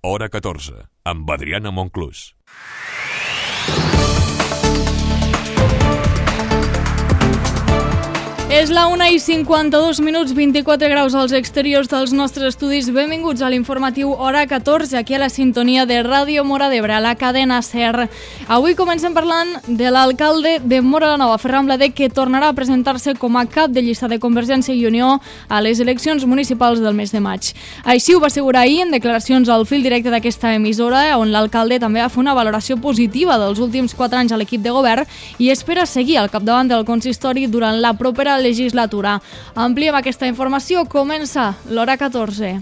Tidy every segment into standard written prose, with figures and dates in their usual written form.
Hora 14, amb Adriana Monclús. És la 1:52, 24 graus als exteriors dels nostres estudis. Benvinguts a l'informatiu Hora 14, aquí a la sintonia de Ràdio Móra d'Ebre, a la cadena SER. Avui comencem parlant de l'alcalde de Móra la Nova, Ferran Blader, que tornarà a presentar-se com a cap de llista de Convergència i Unió a les eleccions municipals del mes de maig. Així ho va assegurar ahir en declaracions al fil directe d'aquesta emissora, on l'alcalde també va fer una valoració positiva dels últims 4 anys a l'equip de govern i espera seguir al capdavant del consistori durant la propera legislatura. Ampliem aquesta informació. Comença l'Hora 14.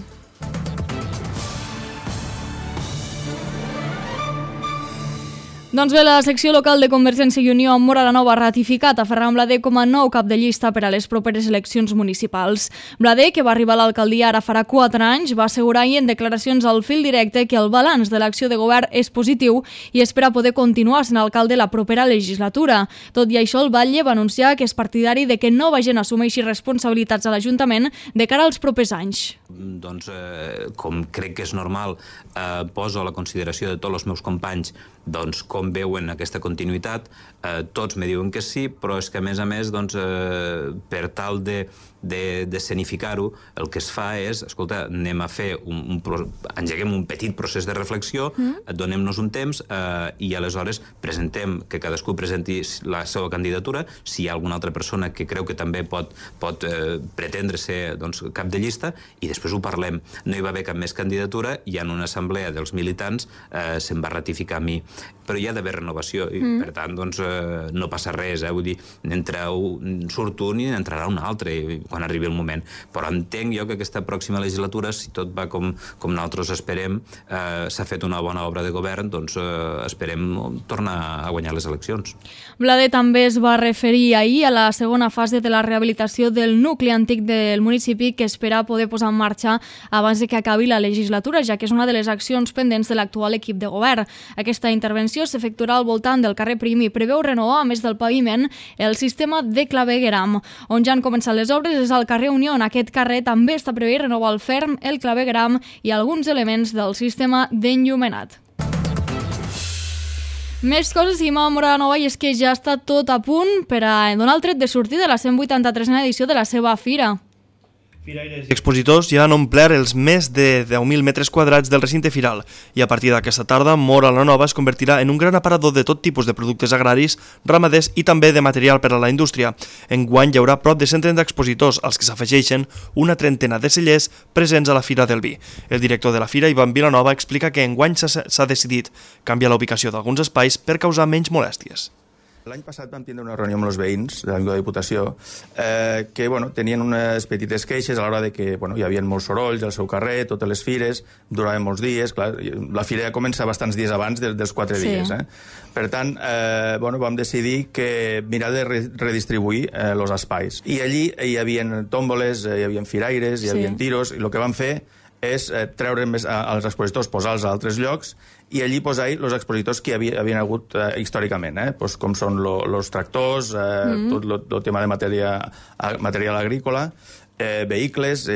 Doncs bé, la secció local de Convergència i Unió a Móra la Nova ha ratificat a Ferran Blader com a nou cap de llista per a les properes eleccions municipals. Blader, que va arribar a l'alcaldia ara farà 4 anys, va assegurar ahir en declaracions al fil directe que el balanç de l'acció de govern és positiu i espera poder continuar sent alcalde la propera legislatura. Tot i això, el batlle va anunciar que és partidari de que nova gent assumeixi responsabilitats a l'Ajuntament de cara als propers anys. Doncs, com crec que és normal, poso a la consideració de tots els meus companys doncs, com veuen aquesta continuïtat. Tots me diuen que sí, però és que a més, per tal d'escenificar-ho, el que es fa és, escolta, anem a fer engeguem un petit procés de reflexió, donem-nos un temps i aleshores presentem, que cadascú presenti la seva candidatura, si hi ha alguna altra persona que creu que també pot pretendre ser cap de llista, i després ho parlem. No hi va haver cap més candidatura i en una assemblea dels militants se'm va ratificar a mi. Però hi ha d'haver renovació i, per tant, no passa res, vull dir, surt un i entrarà un altre quan arribi el moment. Però entenc jo que aquesta pròxima legislatura, si tot va com nosaltres esperem, s'ha fet una bona obra de govern, doncs esperem tornar a guanyar les eleccions. Blader també es va referir ahir a la segona fase de la rehabilitació del nucli antic del municipi, que espera poder posar en marxa abans de que acabi la legislatura, ja que és una de les accions pendents de l'actual equip de govern. Aquesta intervenció s'efectuarà al voltant del carrer Prim i preveu renovar, a més del paviment, el sistema de clavegueram. On ja han començat les obres és al carrer Unió. En aquest carrer també està previst renovar el ferm, el clavegueram i alguns elements del sistema d'enllumenat. Més coses i a Móra la Nova, i és que ja està tot a punt per a donar el tret de sortida de la 183a edició de la seva fira. Firaires i expositors ja han omplert els més de 10.000 metres quadrats del recinte firal i a partir d'aquesta tarda Móra la Nova es convertirà en un gran aparador de tot tipus de productes agraris, ramaders i també de material per a la indústria. Enguany hi haurà prop de 130 expositors, als que s'afegeixen una trentena de cellers presents a la Fira del Vi. El director de la fira, Ivan Vilanova, explica que enguany s'ha decidit canviar la ubicació d'alguns espais per causar menys molèsties. L'any passat vam tindre una reunió amb els veïns de la Diputació que tenien unes petites queixes a l'hora de que hi havia molts sorolls al seu carrer, totes les fires, duraven molts dies. Clar, la fira ja comença bastants dies abans dels 4 dies. Per tant, vam decidir que mirar de redistribuir els espais. I allí hi havia tòmboles, hi havia firaires, hi havia tiros, i el que vam fer és treure els expositors, posar-los a altres llocs i allí posar els expositors que havien hagut històricament, com són els tractors, tot el tema de material agrícola, vehicles,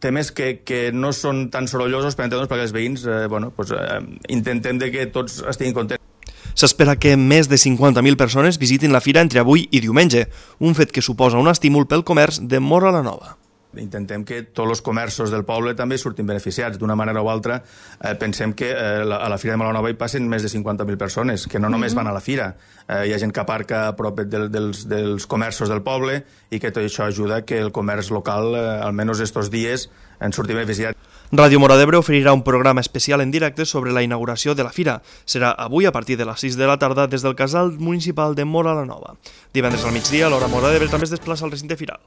temes que no són tan sorollosos per entendre'ns, perquè els veïns intentem que tots estiguin contents. S'espera que més de 50.000 persones visitin la fira entre avui i diumenge, un fet que suposa un estímul pel comerç de Móra la Nova. Intentem que tots els comerços del poble també surtin beneficiats. D'una manera o altra, pensem que a la Fira de Móra la Nova hi passen més de 50.000 persones, que no només van a la fira. Hi ha gent que aparca a prop dels comerços del poble i que tot això ajuda que el comerç local, almenys estos dies, en surti beneficiat. Ràdio Móra d'Ebre oferirà un programa especial en directe sobre la inauguració de la fira. Serà avui a partir de les 6 de la tarda des del casal municipal de Móra la Nova. Divendres al migdia, l'hora Móra d'Ebre també es desplaça al recinte firal.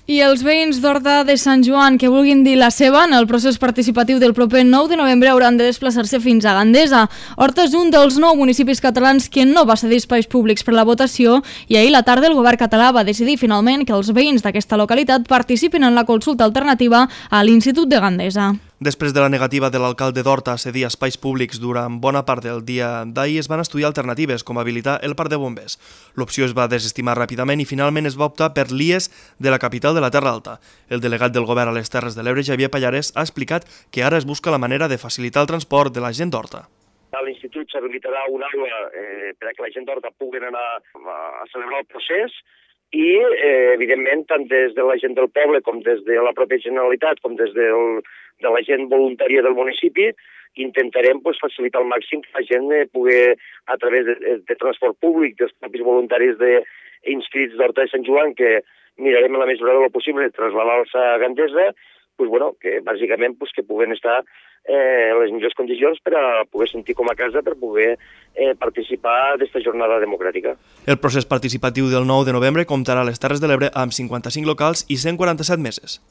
I els veïns d'Horta de Sant Joan que vulguin dir la seva en el procés participatiu del proper 9 de novembre hauran de desplaçar-se fins a Gandesa. Horta és un dels 9 municipis catalans que no va cedir espais públics per la votació i ahir a la tarda el govern català va decidir finalment que els veïns d'aquesta localitat participin en la consulta alternativa a l'Institut de Gandesa. Després de la negativa de l'alcalde d'Horta a cedir espais públics durant bona part del dia d'ahir, es van estudiar alternatives, com habilitar el parc de bombers. L'opció es va desestimar ràpidament i finalment es va optar per l'IES de la capital de la Terra Alta. El delegat del govern a les Terres de l'Ebre, Xavier Pallarès, ha explicat que ara es busca la manera de facilitar el transport de la gent d'Horta. A l'institut s'habilitarà una aula per a que la gent d'Horta pugui anar a celebrar el procés i, evidentment, tant des de la gent del poble com des de la pròpia Generalitat com des de la gent voluntària del municipi, intentarem facilitar al màxim que la gent pugui, a través de transport públic, dels propis voluntaris inscrits d'Horta de Sant Joan, que mirarem en la mesura del possible de trasladar-los a Gandesa, que bàsicament que puguen estar en les millors condicions per a poder sentir com a casa, per poder participar d'esta jornada democràtica. El procés participatiu del 9 de novembre comptarà a les Terres de l'Ebre amb 55 locals i 147 meses.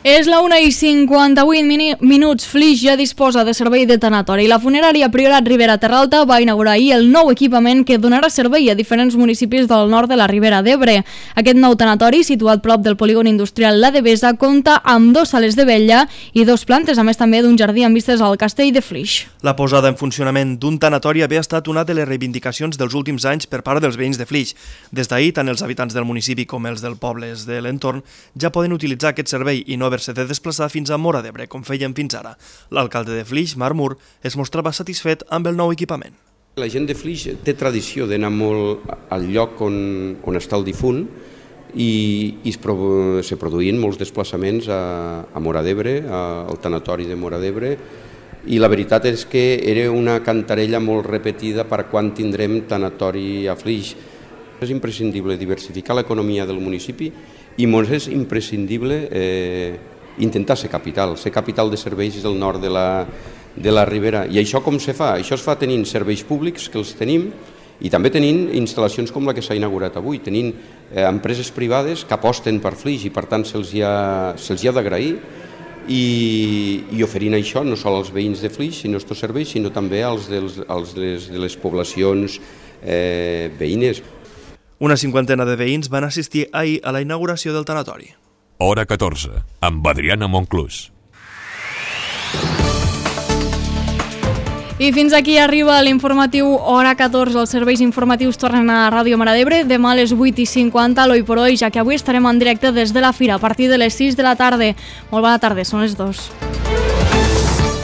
És la 1:58 minuts. Flix ja disposa de servei de tanatori. La funerària Priorat Ribera Terra Alta va inaugurar ahir el nou equipament que donarà servei a diferents municipis del nord de la Ribera d'Ebre. Aquest nou tanatori, situat prop del polígon industrial La Devesa, compta amb 2 sales de vetlla i 2 plantes, a més també d'un jardí amb vistes al castell de Flix. La posada en funcionament d'un tanatori havia estat una de les reivindicacions dels últims anys per part dels veïns de Flix. Des d'ahir, tant els habitants del municipi com els dels pobles de l'entorn ja poden utilitzar aquest servei i no haver-se de desplaçar fins a Móra d'Ebre, com feien fins ara. L'alcalde de Flix, Marc Mur, es mostrava satisfet amb el nou equipament. La gent de Flix té tradició d'anar molt al lloc on està el difunt i se produïen molts desplaçaments a Móra d'Ebre, al tanatori de Móra d'Ebre, i la veritat és que era una cantarella molt repetida per quan tindrem tanatori a Flix. És imprescindible diversificar l'economia del municipi i ens és imprescindible intentar ser capital de serveis del nord de la Ribera. I això com se fa? Això es fa tenint serveis públics, que els tenim, i també tenint instal·lacions com la que s'ha inaugurat avui, tenint empreses privades que aposten per Flix i per tant se'ls hi ha d'agrair i oferint això no sols als veïns de Flix, sinó estos serveis, sinó també als de les poblacions veïnes. Una 50ena de veïns van assistir ahir a la inauguració del tanatori. Hora 14, amb Adriana Monclús. I fins aquí arriba l'informatiu Hora 14. Els serveis informatius tornen a Ràdio Mora d'Ebre demà a les 8:50, l'Oi por Hoy, ja que avui estarem en directe des de la Fira a partir de les 6 de la tarda. Molt bona tarda, són les 2.